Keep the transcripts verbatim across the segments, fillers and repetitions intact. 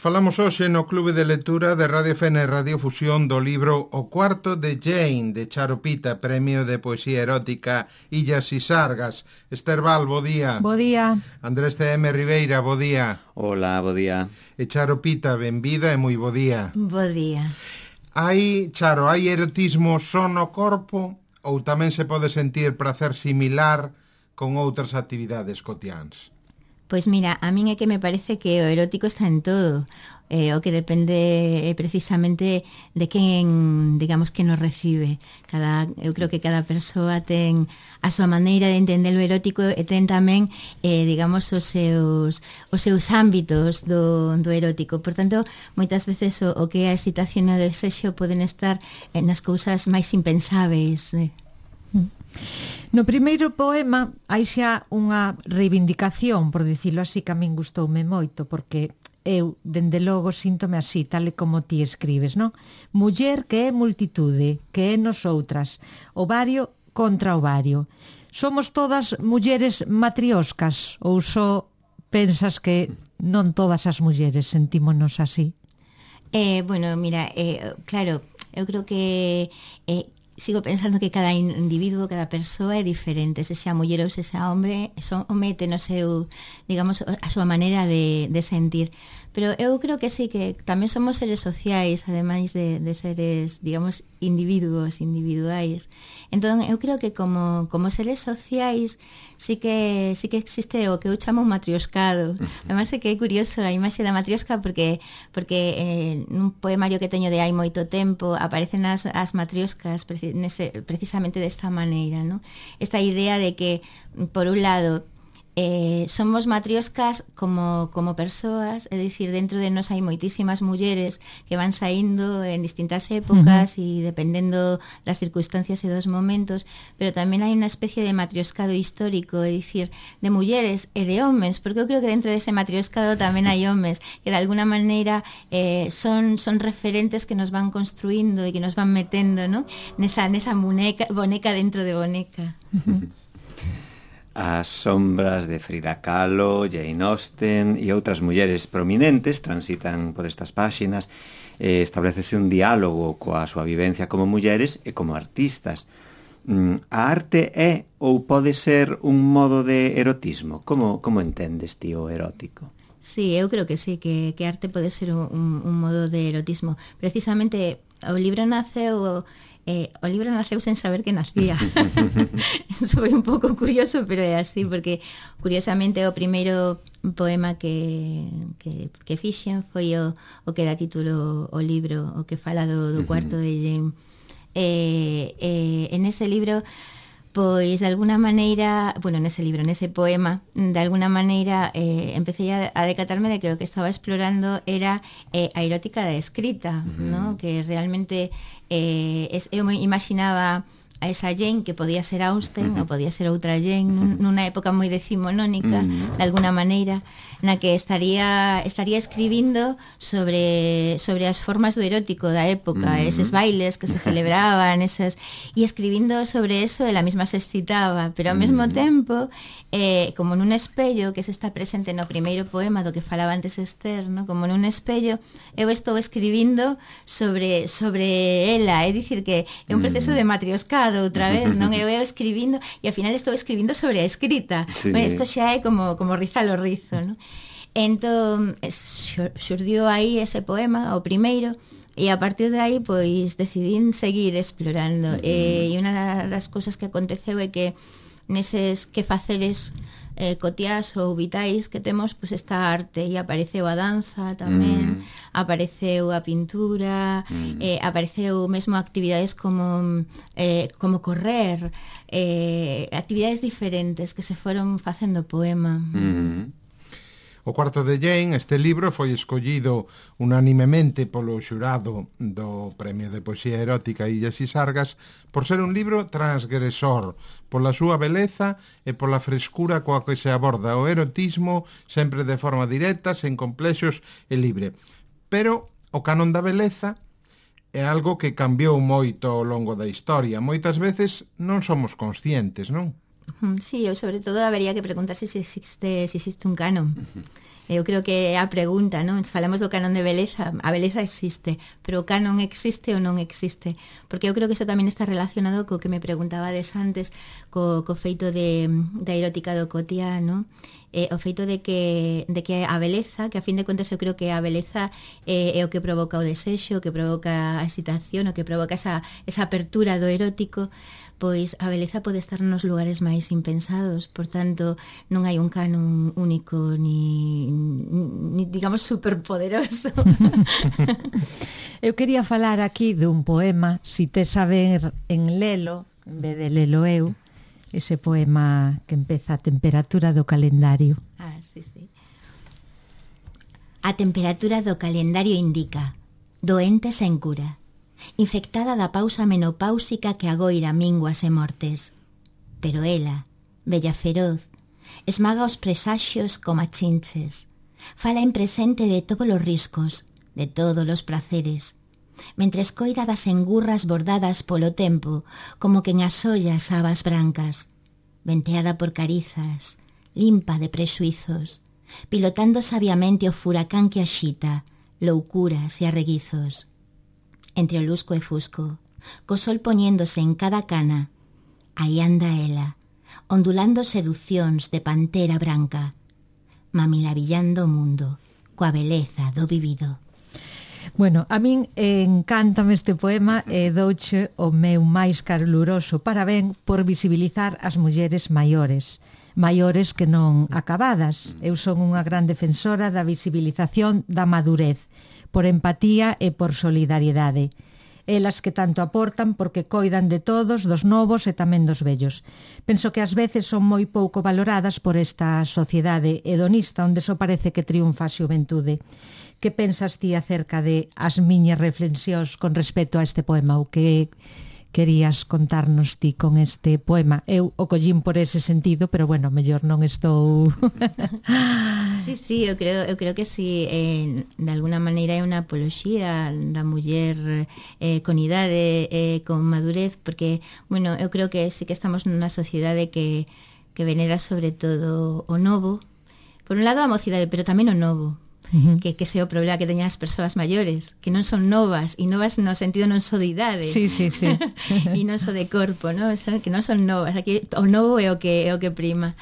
Falamos hoxe no Clube de Lectura de Radio Fene e Radio Fusión do libro O cuarto de Jane, de Charo Pita, Premio de Poesía Erótica Illas y Sargas. Esther Val, bo día. Bo día. Andrés C M Ribeira, bo día. Hola, bo día. E Charo Pita, benvida e moi bo día. Bo día. Hai, Charo, hai erotismo só no corpo ou tamén se pode sentir prazer similar con outras actividades cotiáns? Pois mira, a min é que me parece que o erótico está en todo, eh, o que depende eh, precisamente de quen, digamos, que nos recibe. Cada, eu creo que cada persoa ten a súa maneira de entender o erótico e ten tamén, eh, digamos, os seus, os seus ámbitos do, do erótico. Por tanto, moitas veces o, o que é a excitación e o desexo poden estar eh, nas cousas máis impensáveis, eh. No primeiro poema hai xa unha reivindicación, por dicilo así, que a min gustoume moito, porque eu, dende logo, síntome así, tal e como ti escribes, non? Muller que é multitude, que é nosoutras, ovario contra ovario. Somos todas mulleres matrioscas, ou só pensas que non todas as mulleres sentímonos así? Eh, bueno, mira, eh, claro, eu creo que... Eh, sigo pensando que cada individuo, cada persoa é diferente, se xa muller ou se xa hombre, son mete no seu, digamos, a súa maneira de, de sentir. Pero eu creo que sí, que tamén somos seres sociais, ademais de, de seres, digamos, individuos, individuais. Entón, eu creo que como, como seres sociais sí que sí que existe o que eu chamo un matrioscado. Ademais é que é curioso a imaxe da matriosca porque porque eh, nun poemario que teño de hai moito tempo aparecen as, as matrioscas preci, nese, precisamente desta maneira, ¿no? Esta idea de que, por un lado, Eh, somos matrioscas como, como persoas, é dicir, dentro de nós hai moitísimas mulleres que van saindo en distintas épocas uh-huh. e dependendo das circunstancias e dos momentos, pero tamén hai unha especie de matrioscado histórico, é dicir, de mulleres e de homes, porque eu creo que dentro dese matrioscado tamén hai homes que de alguna maneira eh, son, son referentes que nos van construindo e que nos van metendo, ¿no? nesa, nesa boneca, boneca dentro de boneca. Uh-huh. As sombras de Frida Kahlo, Jane Austen e outras mulleres prominentes transitan por estas páxinas e establecese un diálogo coa súa vivencia como mulleres e como artistas. A arte é ou pode ser un modo de erotismo? Como, como entendes ti o erótico? Sí, eu creo que sí, que, que arte pode ser un, un modo de erotismo. Precisamente o libro naceu... Eh, o libro naceu sen saber que nacía. Eso foi un pouco curioso, pero é así, porque curiosamente o primeiro poema que, que, que fixen foi o, o que dá título o libro, o que fala do, do cuarto de Jane. Eh, eh, en ese libro, pois de alguna maneira, bueno, nese libro, nese poema, de alguna maneira eh, empecé a, a decatarme de que o que estaba explorando era eh, a erótica da escrita, uh-huh. ¿no? Que realmente eh, es, eu me imaginaba a esa Jane que podía ser Austen uh-huh. ou podía ser outra Jane nun, nunha época moi decimonónica, uh-huh. de alguna maneira, na que estaría estaría escribindo sobre sobre as formas do erótico da época, uh-huh. eses bailes que se celebraban, esas, e escribindo sobre eso, ela mesma se excitaba, pero ao mesmo uh-huh. tempo, eh, como nun espello, que se está presente no primeiro poema do que falaba antes Esther, ¿no? Como nun espello, eu estou escribindo sobre sobre ela, é dicir que é un proceso de matrioscado outra vez, non? Eu eu escribindo e ao final estou escribindo sobre a escrita. Sí. Bueno, isto xa é como como rizar o rizo, non? Entón, xurdiu aí ese poema, o primeiro, e a partir de aí, pois, decidín seguir explorando. Uh-huh. E unha das cousas que aconteceu é que neses que faceres eh, cotiás ou vitais que temos, pois esta arte, e apareceu a danza tamén, mm. apareceu a pintura, mm. eh, apareceu mesmo actividades como eh, como correr, eh, actividades diferentes que se foron facendo poema. Mm. O cuarto de Jane, este libro, foi escollido unanimemente polo xurado do Premio de Poesía Erótica Illas y Sargas por ser un libro transgresor, pola súa beleza e pola frescura coa que se aborda o erotismo sempre de forma directa, sen complexos e libre. Pero o canon da beleza é algo que cambiou moito ao longo da historia. Moitas veces non somos conscientes, non? Sí, eu sobre todo habería que preguntarse se existe, se existe un canon. Eu creo que é a pregunta, non? Falamos do canon de beleza, a beleza existe, pero o canon existe ou non existe? Porque eu creo que iso tamén está relacionado co que me preguntabades antes, co, co feito de, da erótica do cotidiano, eh, o feito de que, de que a beleza, que a fin de contas eu creo que a beleza eh, é o que provoca o desexo, o que provoca a excitación, o que provoca esa, esa apertura do erótico, pois a beleza pode estar nos lugares máis impensados, por tanto non hai un canon único ni, ni digamos superpoderoso. Eu quería falar aquí dun poema, si te saber en lelo, en vez de lelo eu, ese poema que empeza a temperatura do calendario. Ah, sí, sí. A temperatura do calendario indica doente sen cura, infectada da pausa menopáusica que agoira minguas e mortes. Pero ela, bella feroz, esmaga os presaxios como chinches, fala en presente de todos os riscos, de todos os placeres, mentres coida das engurras bordadas polo tempo como que en as ollas habas brancas, venteada por carizas, limpa de prexuizos, pilotando sabiamente o furacán que axita, loucuras e arreguizos. Entre o lusco e fusco, co sol poñéndose en cada cana, aí anda ela, ondulando seducións de pantera branca, mamilavillando o mundo, coa beleza do vivido. Bueno, a min encántame este poema e douche o meu máis caluroso parabén por visibilizar as mulleres maiores, maiores que non acabadas. Eu son unha gran defensora da visibilización da madurez, por empatía e por solidariedade. Elas que tanto aportan porque coidan de todos, dos novos e tamén dos vellos. Penso que ás veces son moi pouco valoradas por esta sociedade hedonista onde só parece que triunfa a xuventude. Que pensas ti acerca de as miñas reflexións con respecto a este poema? O que querías contarnos ti con este poema? Eu o collín por ese sentido, pero bueno, mellor non estou... Sí, sí, eu creo, eu creo que sí, eh, de alguna maneira é unha apoloxía da muller eh, con idade, eh, con madurez, porque, bueno, eu creo que sí que estamos nunha sociedade que, que venera sobre todo o novo, por un lado a mocidade, pero tamén o novo. Uh-huh. que, que ese é o problema que teñen as persoas maiores, que non son novas, e novas no sentido non só de idade, sí, sí, sí. e non só de corpo, ¿no? Son, que non son novas, aquí o novo é o que é o que prima.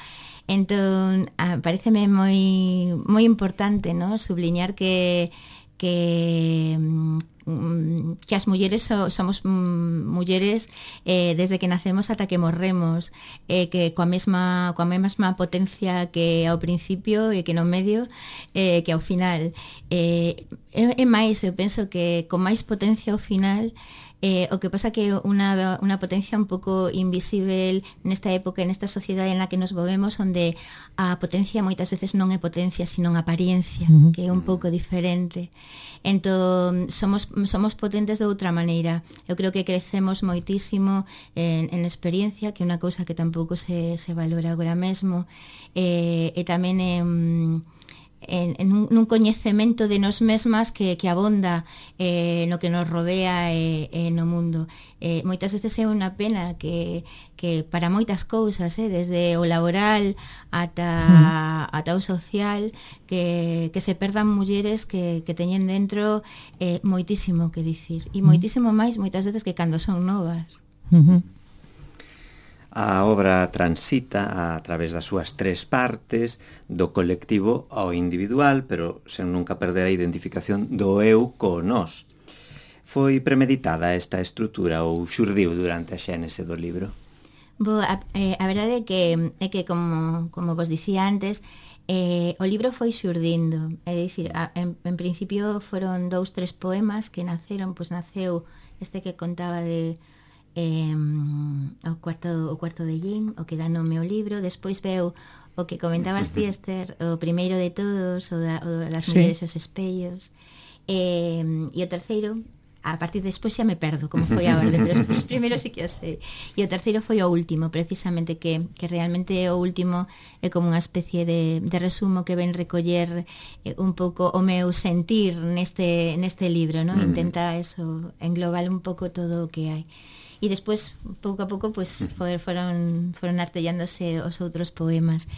Entón, ah, pareceme moi moi importante, ¿no? Subliñar que que que as mulleres so, somos mm, mulleres eh, desde que nacemos ata que morremos, eh, que coa mesma coa mesma potencia que ao principio e que no medio, eh, que ao final, eh, é, é máis, eu penso que con máis potencia ao final. Eh, o que pasa que unha, unha potencia un pouco invisible nesta época, nesta sociedade en la que nos movemos, onde a potencia moitas veces non é potencia, sino apariencia, uh-huh. que é un pouco diferente. Entón, somos, somos potentes de outra maneira. Eu creo que crecemos moitísimo en, en experiencia, que é unha cousa que tampouco se, se valora agora mesmo, eh, e tamén en... En, en un, nun coñecemento de nos mesmas que, que abonda eh, no que nos rodea e eh, eh, no mundo. Eh, moitas veces é unha pena que, que para moitas cousas, eh, desde o laboral ata, mm. ata o social, que, que se perdan mulleres que, que teñen dentro eh, moitísimo que dicir. E moitísimo máis moitas veces que cando son novas. Uh-huh. A obra transita a través das súas tres partes, do colectivo ao individual, pero sen nunca perder a identificación do eu co nós. Foi premeditada esta estrutura ou xurdiu durante a xénese do libro? Bo, a, eh, a verdade é que, é que como, como vos dicía antes, eh, o libro foi xurdindo. É dicir, a, en, en principio foron dous, tres poemas que naceron, pois naceu este que contaba de... Eh, o cuarto o cuarto de Jane, o que dá nome ao libro. Despois veu o que comentabas ti, Esther, o primeiro de todos, o, da, o das sí. mulleres e os espellos, eh, e o terceiro, a partir de despois xa me perdo como foi a orde, pero os tres primeiros sí que o sei. E o terceiro foi o último, precisamente, que, que realmente o último é como unha especie de, de resumo que ven recoller eh, un pouco o meu sentir neste, neste libro, ¿no? Intenta eso, englobar un pouco todo o que hai. E despois, pouco a pouco, pues, foron, foron artellándose os outros poemas.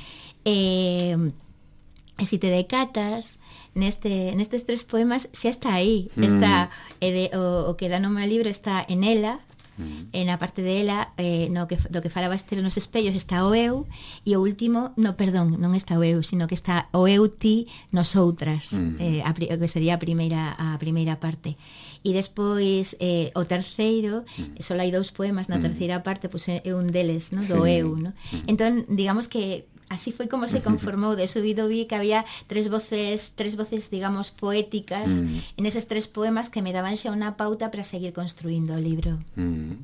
Eh, E se te decatas, neste, nestes tres poemas xa está aí, está, mm. e de, o, o que dá nome ao libro está en ela, mm. e na parte de ela, eh, no que, do que falaba Esther nos espellos, está o eu, e o último, no, perdón, non está o eu, sino que está o eu, ti, nos outras, mm. eh, a, o que sería a primeira, a primeira parte. E despois, eh, o terceiro, mm. só hai dous poemas, na mm. terceira parte, pois pues, é un deles, no? Do sí. eu, no? Mm. Entón, digamos que así foi como se conformou. De subido vi que había tres voces, tres voces, digamos, poéticas mm. en eses tres poemas que me daban xa unha pauta para seguir construindo o libro. Mm.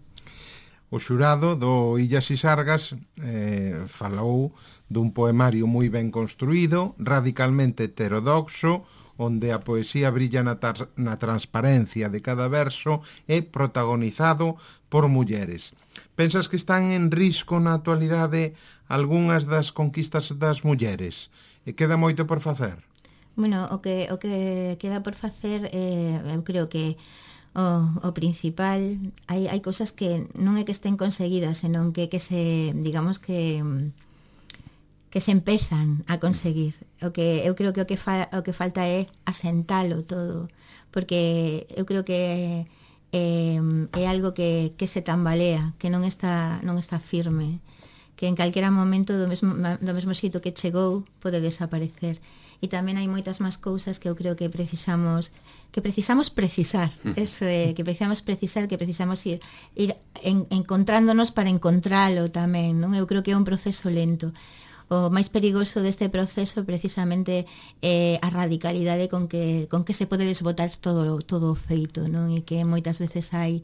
O xurado do Illas e Sargas eh, falou dun poemario moi ben construído, radicalmente heterodoxo, onde a poesía brilla na, na transparencia de cada verso e protagonizado por mulleres. Pensas que están en risco na actualidade algunhas das conquistas das mulleres? E queda moito por facer? Bueno, o que, o que queda por facer, eh, eu creo que o, o principal, hai, hai cousas que non é que estén conseguidas, senón que, que se, digamos que que se empezan a conseguir. O que eu creo que o que, fa, o que falta é asentalo todo, porque eu creo que eh, é algo que, que se tambalea, que non está, non está firme, que en calquera momento do mesmo, do mesmo xeito que chegou pode desaparecer. E tamén hai moitas máis cousas que eu creo que precisamos que precisamos precisar. Eso é, que precisamos precisar, que precisamos ir, ir en, encontrándonos para encontralo tamén, non? Eu creo que é un proceso lento. O máis perigoso deste proceso precisamente é a radicalidade con que, con que se pode desbotar todo, todo o feito, non? E que moitas veces hai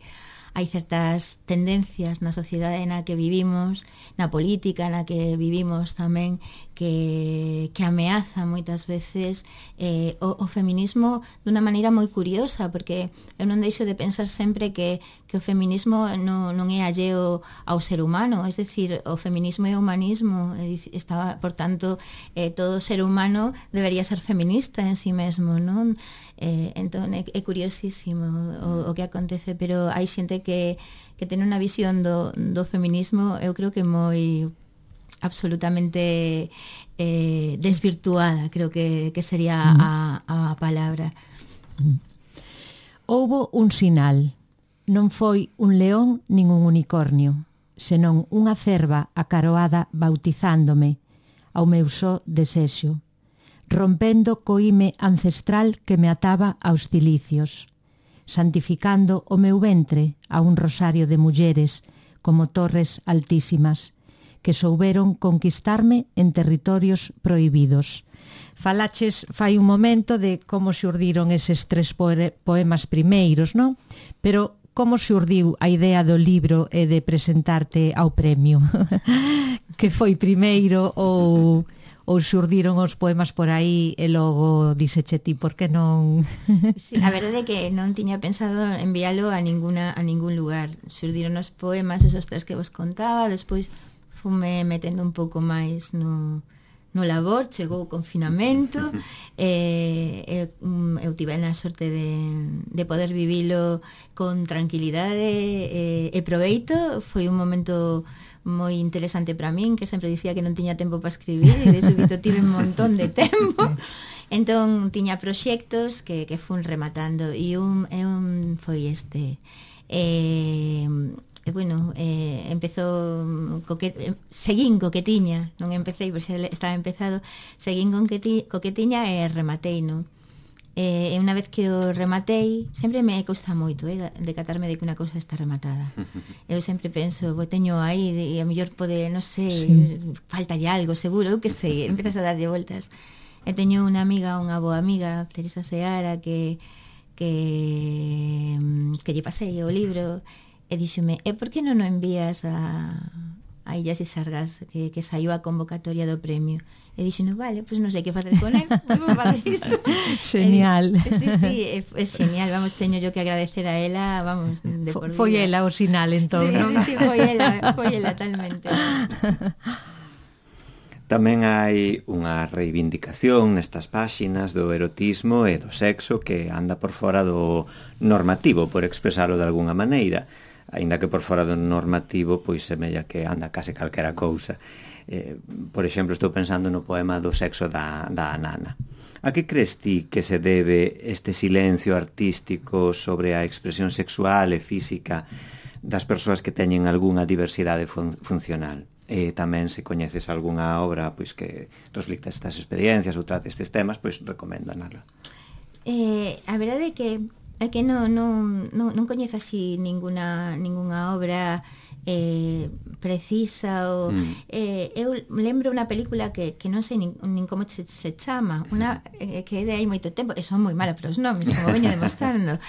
hai certas tendencias na sociedade na que vivimos, na política na que vivimos tamén, que, que ameaza moitas veces eh, o, o feminismo dunha maneira moi curiosa, porque eu non deixo de pensar sempre que, que o feminismo non, non é alleo ao ser humano, es decir, o feminismo é o humanismo, está, por tanto, eh, todo ser humano debería ser feminista en si mesmo, non? Eh, entón é, é curiosísimo o, o que acontece, pero hai xente que, que ten unha visión do, do feminismo, eu creo que moi absolutamente eh, desvirtuada, creo que, que sería mm. a, a palabra. Mm. Houbo un sinal, non foi un león nin un unicornio, senón unha cerva acaroada bautizándome ao meu só desexo, rompendo co ime ancestral que me ataba aos cilicios, santificando o meu ventre a un rosario de mulleres como torres altísimas que souberon conquistarme en territorios prohibidos. Falaches fai un momento de como xurdiron eses tres poemas primeiros, non? Pero como xurdiu a idea do libro e de presentarte ao premio? Que foi primeiro ou... ou xurdiron os poemas por aí e logo dixeche ti, por que non? Sí, a verdade é que non tiña pensado enviálo a ninguna a ningún lugar. Xurdiron os poemas, esos tres que vos contaba, despois fume metendo un pouco máis no, no labor, chegou o confinamento, e, e eu tive a sorte de, de poder vivilo con tranquilidade e, e proveito. Foi un momento moi interesante para min, que sempre dicía que non tiña tempo para escribir, e de súbito tive un montón de tempo. Entón tiña proxectos que, que fun rematando, e un, e un foi este. E, e bueno, eh, empezou coque, seguín co que tiña, non empecé, pois estaba empezado, seguín con que, ti, co que tiña e rematei, non? E unha vez que o rematei, sempre me custa moito, eh, decatarme de que unha cousa está rematada. Eu sempre penso, vou teño aí, e a mellor pode, non sei, sí. faltalle algo, seguro, eu que sei, empezas a darlle voltas. E teño unha amiga, unha boa amiga, Teresa Seara, que que que lle pasei o libro, e díxome, e por que non o envías a, a Illas e Sargas, que, que saiu a convocatoria do premio? E dixen, vale, pois pues non sei que facer con él, vamos facer iso. Genial. Eh, sí, sí, é, é genial, vamos, teño yo que agradecer a ela, vamos, de por vida. Foi ela o sinal, entón, sí, non? Sí, sí, foi ela, foi ela, talmente. Tamén hai unha reivindicación nestas páxinas do erotismo e do sexo que anda por fora do normativo, por expresalo de alguna maneira, aínda que por fora do normativo pois semella que anda case calquera cousa. Eh, por exemplo, estou pensando no poema do sexo da, da nana. A que crees ti que se debe este silencio artístico sobre a expresión sexual e física das persoas que teñen algunha diversidade fun funcional? E tamén se coñeces algunha obra pois que reflicta estas experiencias ou trate estes temas, pois recoméndanala. Eh, a verdade é que é que non, non, non, non coñezo así ninguna, ninguna obra eh, precisa ou, mm. eh, eu lembro unha película que, que non sei nin, nin como se, se chama unha eh, que é de hai moito tempo e son moi mala para os nomes, como veño demostrando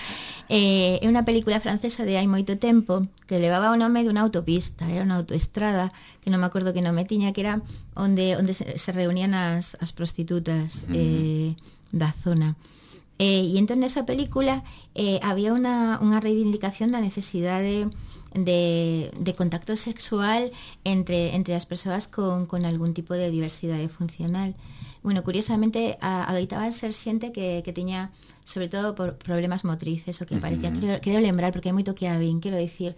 eh, é unha película francesa de hai moito tempo que levaba o nome dunha autopista, era unha autoestrada que non me acordo que nome tiña, que era onde, onde se, se reunían as, as prostitutas mm. eh, da zona. Eh, e entón nesa película eh, había unha, unha reivindicación da necesidade de, de contacto sexual entre, entre as persoas con, con algún tipo de diversidade funcional. Bueno, curiosamente a, adoitaban ser xente que, que tiña sobre todo por problemas motrices o que parecía, uh-huh. creo, creo lembrar porque hai moito que habín, quero dicir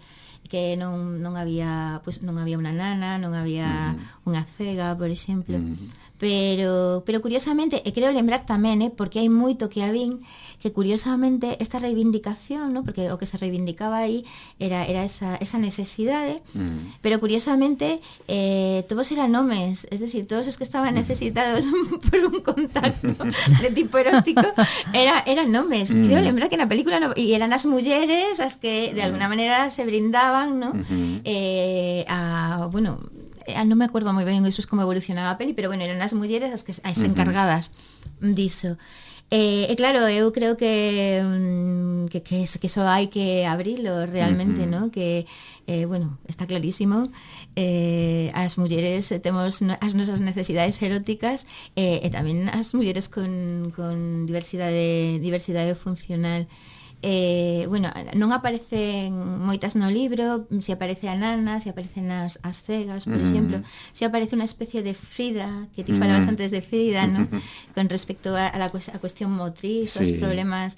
que non, non había pues, non había unha nana, non había uh-huh. unha cega, por exemplo. Uh-huh. Pero, pero curiosamente, e creo lembrar tamén, eh, porque hai moito que habín, que curiosamente esta reivindicación, ¿no? Porque o que se reivindicaba aí era, era esa, esa necesidade, mm. pero curiosamente eh, todos eran homes, es decir, todos os que estaban necesitados por un contacto de tipo erótico era, eran homes. Mm. Creo lembrar que na película no, e eran as mulleres as que de alguna maneira se brindaban, ¿no? Mm-hmm. eh, a, bueno, non me acordo moi ben iso como evolucionaba a peli, pero bueno, eran as mulleres as que as encargadas uh-huh. diso. E, eh, claro, eu creo que que, que, que eso hai que abrilo realmente, uh-huh. ¿no? Que, eh, bueno, está clarísimo, eh, as mulleres temos as nosas necesidades eróticas eh, e tamén as mulleres con, con diversidade, diversidade funcional. Eh, bueno, non aparecen moitas no libro, se aparece a nana, se aparecen as, as cegas, por mm. exemplo, se aparece unha especie de Frida, que ti falabas mm. antes de Frida, ¿no? Con respecto a, a la a cuestión motriz, sí. Os problemas,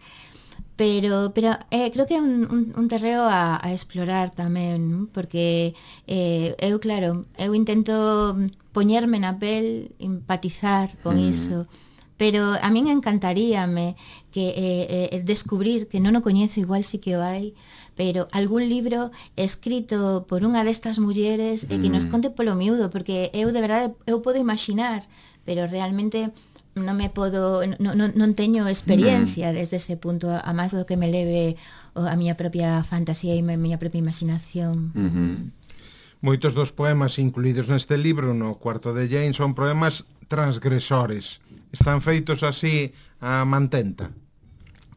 pero pero eh, creo que é un, un, un terreo a, a explorar tamén, ¿no? Porque eh, eu, claro, eu intento poñerme na pel, empatizar con mm. iso, pero a min encantaríame que eh, eh, descubrir que non o coñezo, igual sí que o hai, pero algún libro escrito por unha destas mulleres mm. e que nos conte polo miúdo, porque eu de verdade eu podo imaginar, pero realmente non me podo non, non, non teño experiencia mm. desde ese punto, a, a máis do que me leve a miña propia fantasía e a miña propia imaginación. Mm-hmm. Moitos dos poemas incluídos neste libro, no Cuarto de Jane, son poemas transgresores. Están feitos así a mantenta.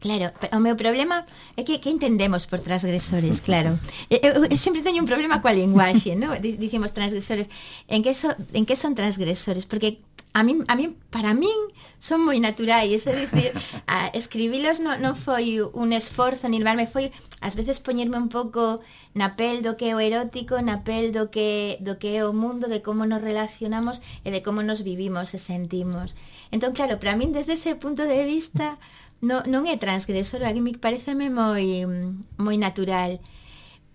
Claro, o meu problema é que que entendemos por transgresores, claro. Eu, eu sempre teño un problema coa linguaxe, ¿no? Dicimos transgresores. En que so, en que son transgresores? Porque a min, a min, para min son moi naturais, é dicir, a escribilos non, non foi un esforzo ni levarme, foi ás veces poñerme un pouco na pel do que é o erótico, na pel do que do que é o mundo, de como nos relacionamos e de como nos vivimos e sentimos. Entón, claro, para min desde ese punto de vista non, non é transgresor, a mí pareceme moi moi natural.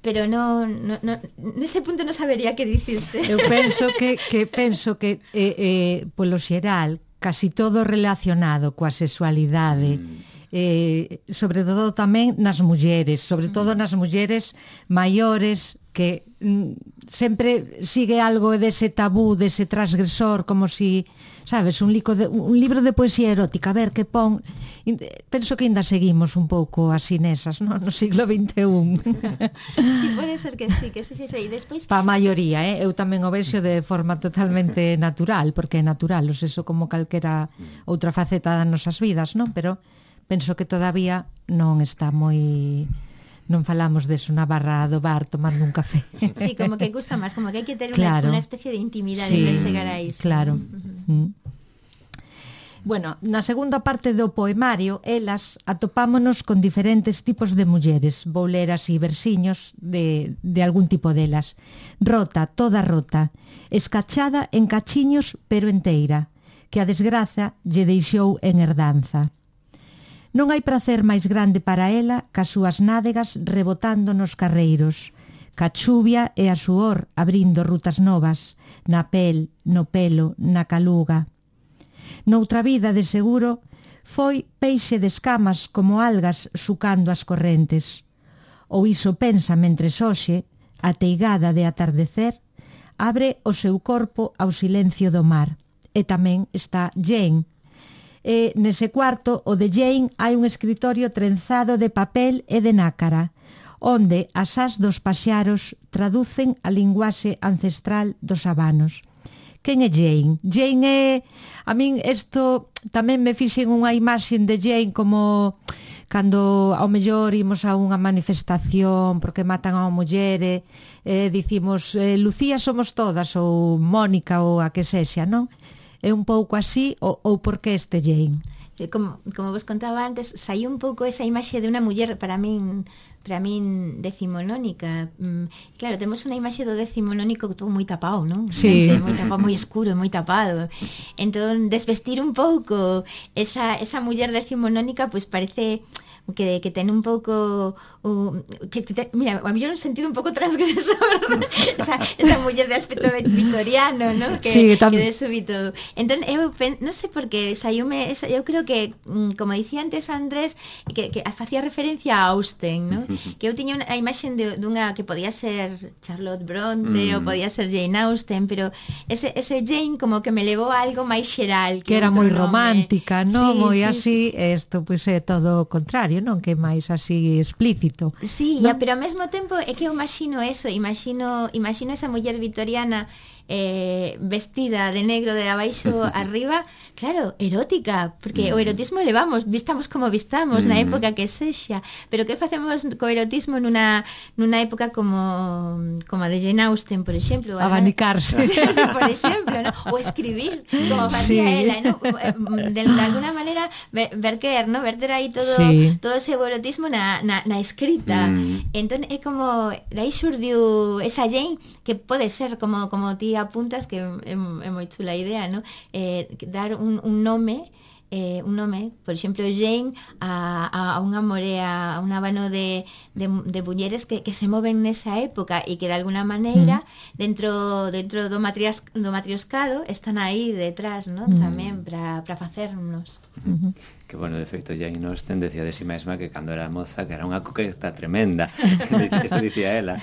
Pero non, non, non nese punto non sabería que dicirse. Eu penso que que penso que eh, eh, polo xeral casi todo relacionado coa sexualidade, mm. eh, sobre todo tamén nas mulleres, sobre todo nas mulleres maiores que mm, sempre sigue algo dese tabú, dese transgresor, como si, sabes, un, lico de, un libro de poesía erótica, a ver que pon. Penso que ainda seguimos un pouco así nesas, no, no siglo vinte e un. Sí, pode ser que sí, que sí, sí, sí. E despois pa maioría, eh? Eu tamén o vexo de forma totalmente natural, porque é natural, o sexo como calquera outra faceta das nosas vidas, non? Pero penso que todavía non está moi... non falamos deso na barra do bar tomando un café. Sí, como que gusta máis, como que hai que ter claro. unha especie de intimidade sí, para chegar a iso. Claro. Uh-huh. Mm. Bueno, na segunda parte do poemario, elas atopámonos con diferentes tipos de mulleres. Vou ler así versiños de, de algún tipo delas. Rota, toda rota, escachada en cachiños pero enteira, que a desgraza lle deixou en herdanza. Non hai prazer máis grande para ela que as súas nádegas rebotando nos carreiros, ca chuvia e a suor abrindo rutas novas, na pel, no pelo, na caluga. Noutra vida, de seguro, foi peixe de escamas como algas sucando as correntes. Ou iso pensa mentres hoxe, ateigada de atardecer, abre o seu corpo ao silencio do mar. E tamén está Jane. E nese cuarto, o de Jane, hai un escritorio trenzado de papel e de nácara, onde as ás dos paxaros traducen a linguaxe ancestral dos habanos. Quen é Jane? Jane é... A min isto tamén me fixen unha imaxe de Jane como cando ao mellor imos a unha manifestación porque matan a unha muller e eh, dicimos eh, Lucía somos todas ou Mónica ou a que sexa, non? É un pouco así ou, ou por que este Jane? Como, como vos contaba antes, saiu un pouco esa imaxe de unha muller para min para min decimonónica. Mm, claro, temos unha imaxe do decimonónico todo moi tapado, non? Sí. Moi tapado, moi escuro, moi tapado. Entón, desvestir un pouco esa, esa muller decimonónica, pois pues parece que, que ten un pouco uh, que, que te, mira, a mí un sentido un pouco transgresor esa, esa muller de aspecto victoriano, ¿no? Que, sí, tam... que de súbito entón, eu pen, non sei por que saiume, eu creo que, como dicía antes Andrés, que, que facía referencia a Austen, ¿no? Que eu tiña unha imaxe de, dunha que podía ser Charlotte Bronte mm. ou podía ser Jane Austen, pero ese, ese Jane como que me levou a algo máis xeral, que, que era moi romántica, non? Sí, moi sí, así, sí. Isto pois é todo o contrario, non? Que máis así explícito. Sí, ¿no? Ya, pero ao mesmo tempo é que eu imagino eso, imagino, imagino esa muller vitoriana eh, vestida de negro de abaixo arriba, claro, erótica, porque mm. o erotismo levamos, vistamos como vistamos mm. na época que sexa, pero que facemos co erotismo nunha, nunha época como como a de Jane Austen, por exemplo, abanicarse, sí, sí, por exemplo, ¿no? O escribir, como facía sí. ela, ¿no? De, de alguna manera ver, verter, ¿no? Verter aí todo sí. todo ese erotismo na, na, na escrita. Mm. Entón é como de aí xurdiu esa Jane que pode ser como como ti apuntas, que é, é moi chula a idea, ¿no? Eh, dar un, un nome eh, un nome, por exemplo Jane a, a, a unha morea, a un abano de, de, de mulleres que, que se moven nesa época e que de alguna maneira mm. dentro dentro do, matrias, do matrioscado están aí detrás, ¿no? Mm. Tamén para facernos. Mm-hmm. Que bueno, de feito Jane Austen decía de si mesma que cando era moza que era unha coqueta tremenda. Isto dicía ela.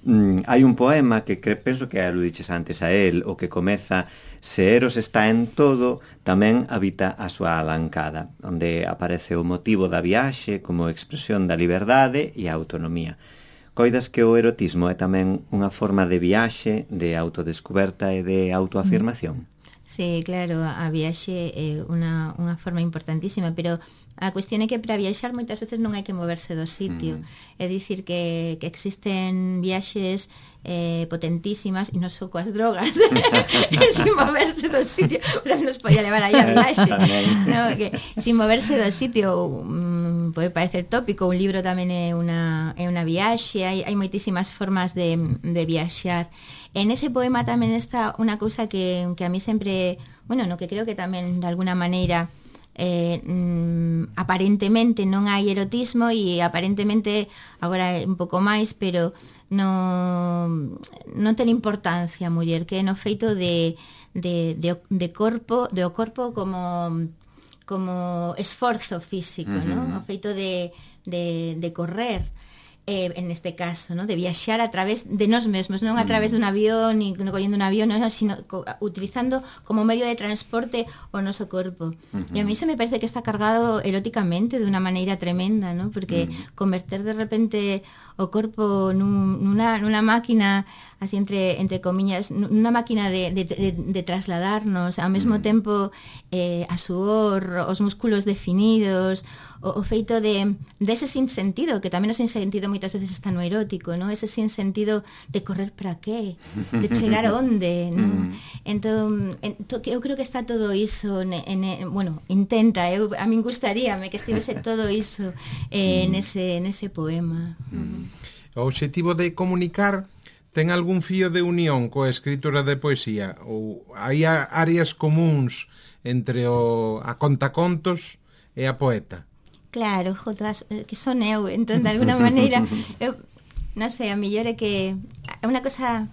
mm, hai un poema que cre, penso que aludiches antes a él, o que comeza: se Eros está en todo, tamén habita a súa alancada, onde aparece o motivo da viaxe como expresión da liberdade e a autonomía. Coidas que o erotismo é tamén unha forma de viaxe, de autodescoberta e de autoafirmación? Sí, claro, a viaxe é unha, unha forma importantísima, pero a cuestión é que para viaxar moitas veces non hai que moverse do sitio. Mm. É dicir que, que existen viaxes eh, potentísimas e non só coas drogas sin moverse do sitio, pero nos podía levar aí a viaxe, no, que sin moverse do sitio um, pode parecer tópico. Un libro tamén é unha, é unha viaxe, hai, hai moitísimas formas de, de viaxar. En ese poema tamén está unha cousa que, que a mí sempre, bueno, no que creo que tamén de alguna maneira eh, mm, aparentemente non hai erotismo e aparentemente agora é un pouco máis, pero non, non ten importancia a muller, que é no feito de, de, de, de corpo, de o corpo como, como esforzo físico, uh-huh. ¿no? O feito de, de, de correr. Eh, en este caso, ¿no? De viaxar a través de nós mesmos, non a través dun avión, ni collendo un avión, no, sino co, utilizando como medio de transporte o noso corpo. Uh-huh. E a mí se me parece que está cargado eróticamente de unha maneira tremenda, ¿no? Porque uh-huh. converter de repente o corpo nun, nunha, nunha máquina, así entre, entre comiñas, nunha máquina de, de, de, de trasladarnos, ao mesmo uh-huh. tempo eh, a suor, os músculos definidos, o, o feito de dese sinsentido, que tamén o sinsentido moitas veces está no erótico, ¿no? Ese sinsentido de correr para qué, de chegar onde, ¿no? Entón, ento, eu creo que está todo iso, en, en, bueno, intenta, eu, a min gustaríame que estivese todo iso eh, nese, nese poema. O obxectivo de comunicar ten algún fío de unión coa escritura de poesía? Ou hai áreas comuns entre o, a contacontos e a poeta? Claro, jodas, que son eu, entón, de alguna maneira, eu, non sei, a mellor é que unha cosa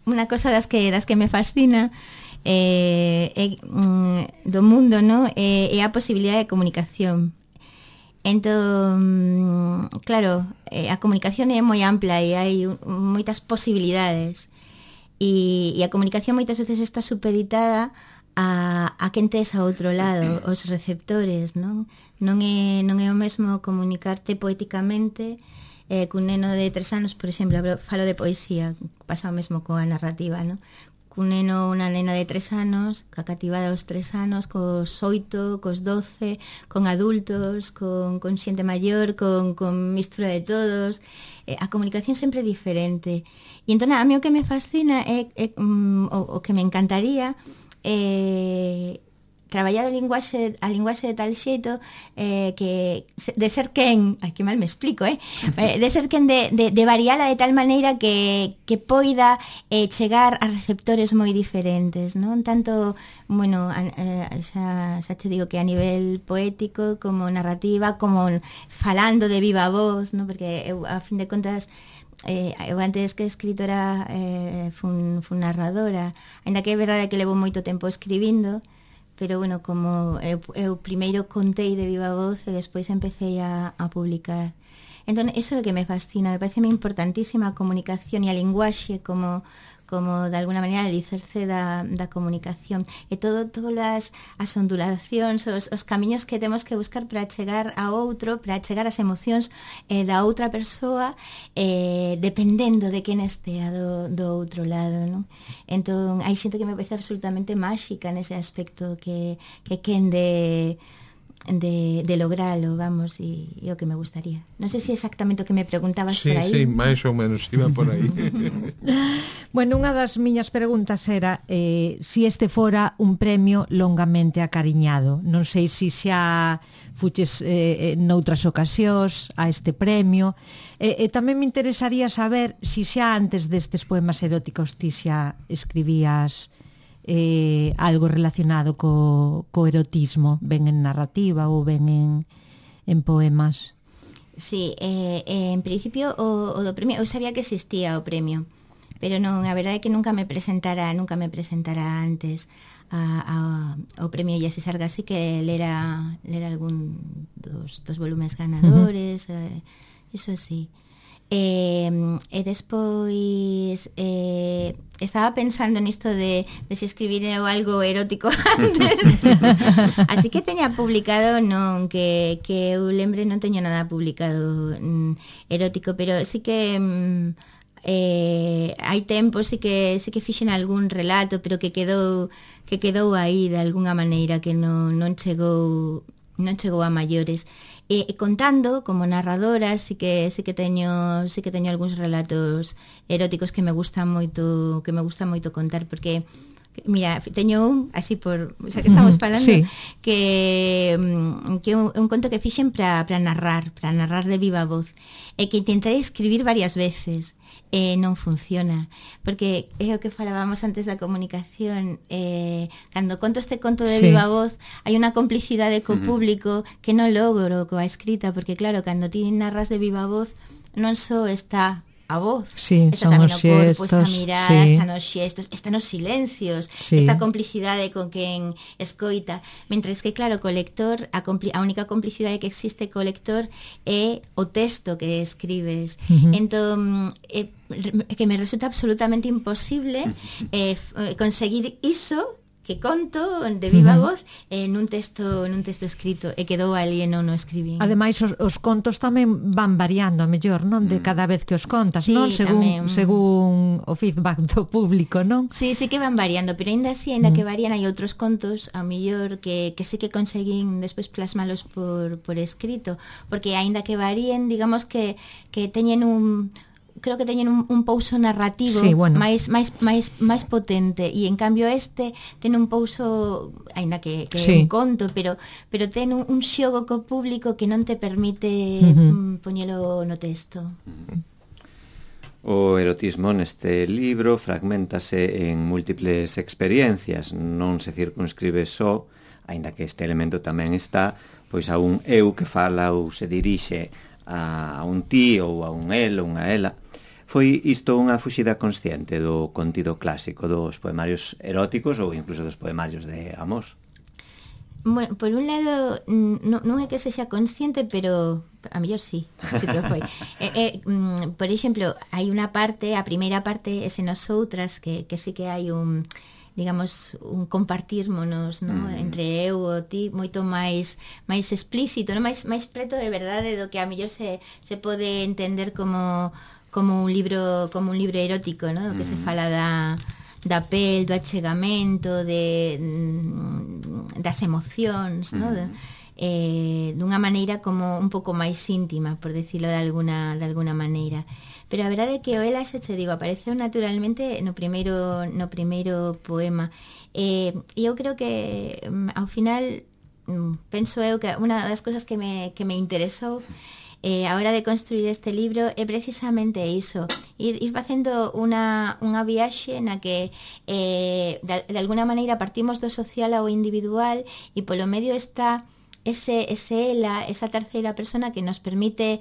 unha cosa das que das que me fascina eh, é, mm, do mundo, no? É, é a posibilidade de comunicación. Entón, claro, eh, a comunicación é moi ampla e hai un, moitas posibilidades e, e a comunicación moitas veces está supeditada a, a quen tes a outro lado, os receptores, non? Non é, non é o mesmo comunicarte poéticamente eh, cun neno de tres anos, por exemplo, falo de poesía, pasa o mesmo coa narrativa, non? Cun neno, unha nena de tres anos, ca cativada aos tres anos, cos oito, cos doce, con adultos, con, con xente maior, con, con mistura de todos. Eh, a comunicación sempre é diferente. E entón, a mí o que me fascina é, é um, o, o que me encantaría é traballar a linguaxe, a linguaxe de tal xeito eh, que de ser quen, ai que mal me explico, eh? de ser quen de, de, de variala de tal maneira que, que poida eh, chegar a receptores moi diferentes, non? Tanto, bueno, a, a, xa, xa te digo que a nivel poético, como narrativa, como falando de viva voz, non? Porque eu, a fin de contas, Eh, eu antes que escritora eh, fun, fun narradora, ainda que é verdade que levo moito tempo escribindo, pero bueno, como eu, eu primeiro contei de viva voz e despois empecé a, a publicar. Entón, eso é o que me fascina, me parece importantísima a comunicación e a linguaxe como, como de alguna maneira el alicerce da, da comunicación. E todo, todas as ondulacións, os, os camiños que temos que buscar para chegar a outro, para chegar ás emocións eh, da outra persoa, eh, dependendo de quen estea do, do outro lado, non? Entón, hai xente que me parece absolutamente máxica nese aspecto, que, que quen de... de, de logralo, vamos, e, e o que me gustaría. Non sei se exactamente o que me preguntabas sí, por aí. Sí, máis ou menos iba por aí. Bueno, unha das miñas preguntas era eh, si este fora un premio longamente acariñado. Non sei se xa fuches eh, noutras ocasións a este premio. E, e tamén me interesaría saber se xa antes destes poemas eróticos ti xa escribías Eh, algo relacionado co, co erotismo, ben en narrativa ou ben en, en poemas. Sí, eh, eh, en principio o, o do premio, eu sabía que existía o premio, pero non, a verdade é que nunca me presentara, nunca me presentara antes a, a, ao premio Iesis Sargas, así que lera, lera algún dos, dos volumes ganadores, uh-huh. eh, eso sí. E, e despois eh, estaba pensando nisto de, de se escribir algo erótico antes. Así que teña publicado, non, que, que eu lembre non teño nada publicado mm, erótico, pero sí que mm, eh, hai tempo sí que sí que fixen algún relato, pero que quedou que quedou aí de algunha maneira, que non, non chegou non chegou a maiores. E, e contando como narradora, sí que sí que teño sí que teño algúns relatos eróticos que me gustan moito, que me gusta moito contar, porque mira, teño un así por, o sea, que estamos falando, sí. que que un, un conto que fixen para para narrar, para narrar de viva voz, e que intentarei escribir varias veces. Eh, non funciona, porque é o que falábamos antes da comunicación, eh, cando conto este conto de sí. viva voz hai unha complicidade co público que non logro coa escrita, porque claro, cando ti narras de viva voz non só está a voz, sí, está tamén o corpo, está a mirada, sí. están os xestos, están os silencios, sí. esta complicidade con quen escoita, mentres que claro, co lector, a, compli- a única complicidade que existe co lector é o texto que escribes. Uh-huh. Entón, é, que me resulta absolutamente imposible eh, conseguir iso que conto de viva uh-huh. voz eh, nun texto nun texto escrito, e quedou ali e non o escribín. Ademais, os, os contos tamén van variando, a mellor, non? De cada vez que os contas, sí, non? Según, tamén. según o feedback do público, non? Sí, sí que van variando, pero ainda así, ainda mm. que varían, hai outros contos, a mellor, que, que sí que conseguín despois plasmalos por, por escrito, porque ainda que varíen, digamos que, que teñen un... creo que teñen un, un pouso narrativo sí, bueno. máis, máis, máis, máis potente, e en cambio este ten un pouso, aínda que, que sí. é un conto, pero, pero ten un, un xogo co público que non te permite uh-huh. poñelo no texto. O erotismo neste libro fragmentase en múltiples experiencias, non se circunscribe só, aínda que este elemento tamén está, pois a un eu que fala ou se dirixe a un ti ou a un el ou unha ela. Foi isto unha fuxida consciente do contido clásico dos poemarios eróticos ou incluso dos poemarios de amor? Bueno, por un lado, non, non é que sexa consciente, pero a mellor sí, sí que foi. eh, eh, mm, por exemplo, hai unha parte, a primeira parte, ese nosoutras, que, que sí que hai un, digamos, un compartirmonos, ¿no? Mm. Entre eu e ti, moito máis máis explícito, no? máis máis preto de verdade do que a mellor se, se pode entender como como un libro, como un libro erótico, ¿no? Do que mm. se fala da da pel, do achegamento, de das emocións, ¿no? De, eh, dunha maneira como un pouco máis íntima, por decirlo de alguna de alguna maneira. Pero a verdade é que o ela, xa te digo, apareceu naturalmente no primeiro no primeiro poema. E eh, eu creo que ao final penso eu que unha das cousas que me que me interesou Eh, a hora de construir este libro é precisamente iso, ir, ir facendo unha, unha viaxe na que eh, de, de alguna maneira partimos do social ao individual e polo medio está ese, ese ela, esa terceira persona que nos permite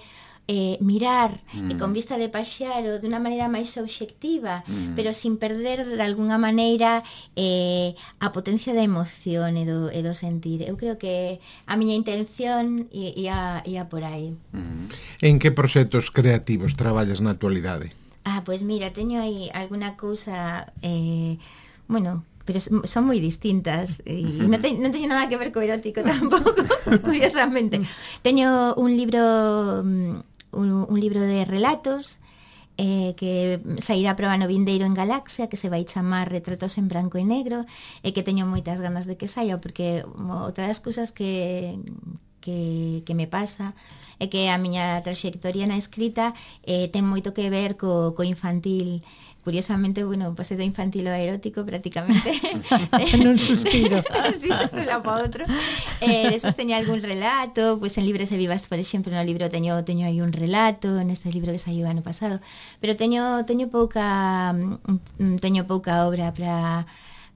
eh, mirar mm. e con vista de paxaro de unha maneira máis obxectiva, mm. pero sin perder de alguna maneira eh, a potencia da emoción e do, e do sentir. Eu creo que a miña intención ia, ia por aí. Mm. En que proxectos creativos traballas na actualidade? Ah, pois pues mira, teño aí alguna cousa eh, bueno, pero son moi distintas e non, te, non teño nada que ver co erótico tampouco, curiosamente. Teño un libro un, un libro de relatos eh, que sairá a proba no vindeiro en Galaxia, que se vai chamar Retratos en branco e negro, e que teño moitas ganas de que saia, porque outra das cousas que, que, que me pasa é que a miña traxectoria na escrita eh, ten moito que ver co, co infantil. Curiosamente, bueno, pasei do infantil ao erótico prácticamente. Nun suspiro. Sí, de un lado para outro. Eh, despois teño algún relato, pois pues en Libres e Vivas, por exemplo, no libro teño teño aí un relato, neste libro que saiu ano pasado, pero teño teño pouca teño pouca obra para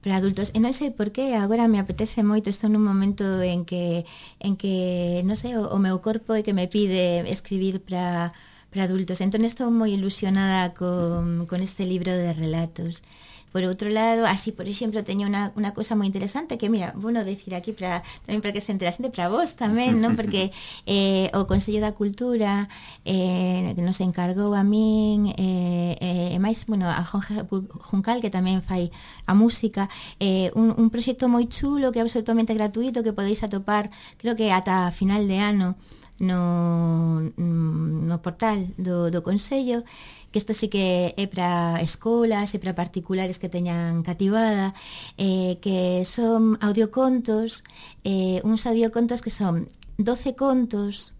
para adultos, e non sei por qué agora me apetece moito, estou nun momento en que en que, non sei, o, o meu corpo é que me pide escribir para para adultos. Entón estou moi ilusionada con, con este libro de relatos. Por outro lado, así, por exemplo, teño unha, unha cosa moi interesante que, mira, bueno, decir aquí para, tamén para que se enterase para vos tamén, non? Porque eh, o Consello da Cultura eh, nos encargou a min e eh, eh, máis, bueno, a Jorge Juncal, que tamén fai a música, eh, un, un proxecto moi chulo que é absolutamente gratuito, que podéis atopar, creo que ata final de ano, no, no portal do, do Consello, que isto sí que é para escolas e para particulares que teñan cativada, eh, que son audiocontos, eh, uns audiocontos que son doce contos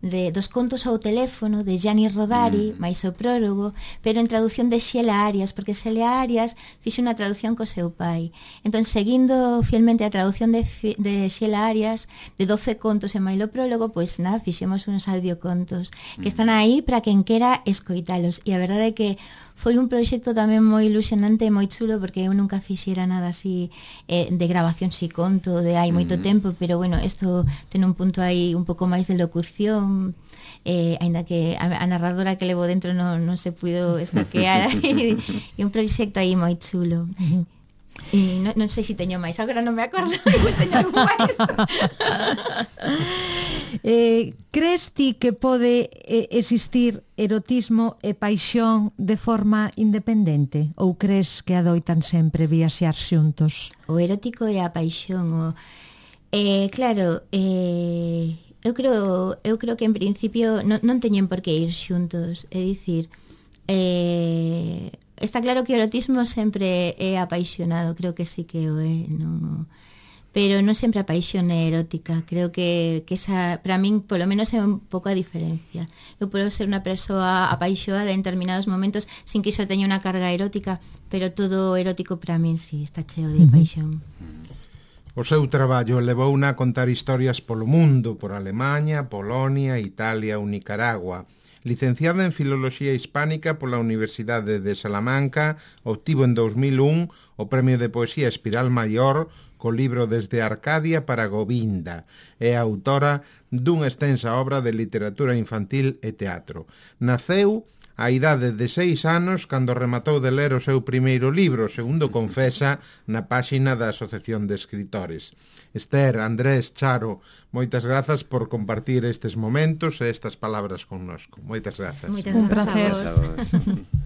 de dos contos ao teléfono de Gianni Rodari, mm. máis o prólogo, pero en traducción de Xela Arias, porque Xela Arias fixe unha traducción co seu pai. Entón, seguindo fielmente a traducción de, de Xela Arias, de doce contos e máis o prólogo, pois nada, fixemos uns audiocontos mm. que están aí para quen quera escoitalos. E a verdade é que foi un proxecto tamén moi ilusionante e moi chulo, porque eu nunca fixera nada así eh, de grabación si conto de hai moito mm. tempo, pero bueno, isto ten un punto aí un pouco máis de locución, eh, aínda que a, a narradora que levo dentro non, non se puido escaquear e, e un proxecto aí moi chulo. Uh-huh. E non, non sei se teño máis, agora non me acordo, igual teño algo máis. eh, crees ti que pode eh, existir erotismo e paixón de forma independente? Ou crees que adoitan sempre viaxear xuntos? O erótico e a paixón, o... Eh, claro, eh, eu creo eu creo que en principio non, non teñen por que ir xuntos, é dicir, eh, está claro que o erotismo sempre é apaixonado, creo que sí que o é, non, pero non sempre a paixón é erótica. Creo que, que esa, para min, polo menos é un pouco a diferencia. Eu podo ser unha persoa apaixoada en determinados momentos sin que iso teña unha carga erótica, pero todo erótico para min sí, está cheo de paixón. O seu traballo levouna a contar historias polo mundo, por Alemaña, Polonia, Italia ou Nicaragua. Licenciada en Filoloxía Hispánica pola Universidade de Salamanca, obtivo en dous mil un o Premio de Poesía Espiral Maior co libro Desde Arcadia para Govinda. É autora dunha extensa obra de literatura infantil e teatro. Naceu a idade de seis anos cando rematou de ler o seu primeiro libro, segundo confesa na páxina da Asociación de Escritores. Esther, Andrés, Charo, moitas grazas por compartir estes momentos e estas palabras connosco. Moitas grazas. Moitas Un grazas a placer. vos. A vos.